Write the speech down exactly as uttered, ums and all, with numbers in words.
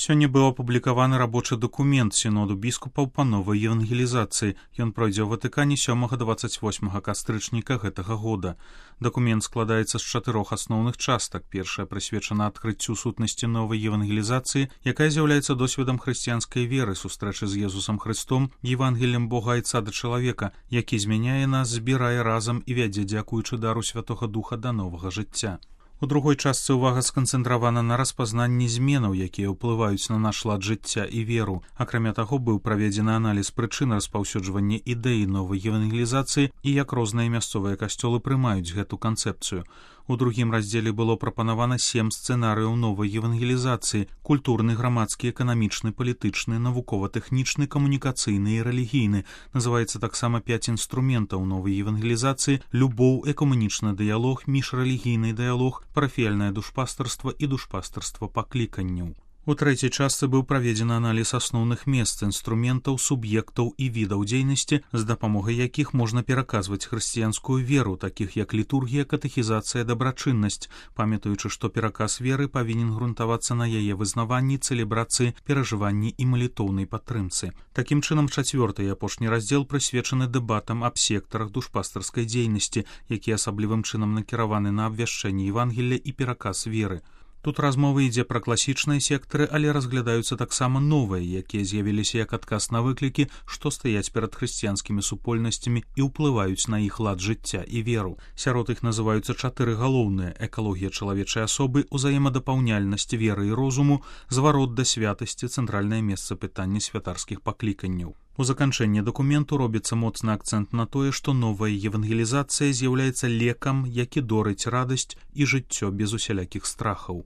Сёння быў апублікаваны рабочы дакумент сіноду біскупаў па новай евангелізацыі. Ён пройдзе ў Ватыкане сёмага дваццаць восьмага кастрычніка гэтага года. Дакумент складаецца з чатырох асноўных частак. Першая прысвечана адкрыццю сутнасці новай евангелізацыі, якая з'яўляецца досведам хрысціянскай веры, сустрэчы з Езусам Христом, Евангеліем Бога Айца да чалавека, які змяняе нас, збірае разам і вядзе, дзякуючы дару Святога Духа, да новага жыцця. У другой частцы ўвага сканцэнтравана на распазнанні зменаў, якія ўплываюць на наш лад жыцця і веру. Акрамя таго, быў праведзены аналіз прычын распаўсюджвання ідэі новай евангелізацыі і як розныя мясцовыя касцёлы прымаюць гэту канцэпцыю. У другім раздзеле было прапанавана сем сцэнарыяў новай евангелізацыі: культурны, грамадскі, эканамічны, палітычны, навукова-тэхнічны, камунікацыйны і рэлігійны. Называецца таксама пяць інструментаў новай евангелізацыі: любоў, экумэнічны дыялог, міжрэлігійны дыялог, парафіяльнае душпастарства і душпастарства пакліканняў. У трэцяй частцы быў праведзены аналіз асноўных месц, інструментаў, суб'ектаў і відаў дзейнасці, з дапамогай якіх можна пераказваць хрысціянскую веру, такіх як літургія, катэхізацыя, дабрачыннасць, памятаючы, што пераказ веры павінен грунтавацца на яе вызнаванні, цэлебрацыі, перажыванні і малітоўнай падтрымцы. Такім чынам, чацвёрты і апошні раздзел прысвечаны дэбатам аб сектарах душпастарскай дзейнасці, якія асаблівым чынам накіраваны на абвяшчэнне Евангелля і пераказ веры. Тут размова ідзе пра класічныя сектары, але разглядаюцца таксама новыя, якія з'явіліся як адказ на выклікі, што стаяць перад хрысціянскімі супольнасцямі і ўплываюць на іх лад жыцця і веру. Сярод іх называюцца чатыры галоўныя: экалогія чалавечай асобы, узаемадапаўняльнасць веры і розуму, зварот да святасці, цэнтральнае месца пытання святарскіх пакліканняў. У заканчэнні дакументу робіцца моцны акцэнт на тое, што новая евангелізацыя з'яўляецца лекам, які дорыць радасць і жыццё без усялякіх страхаў.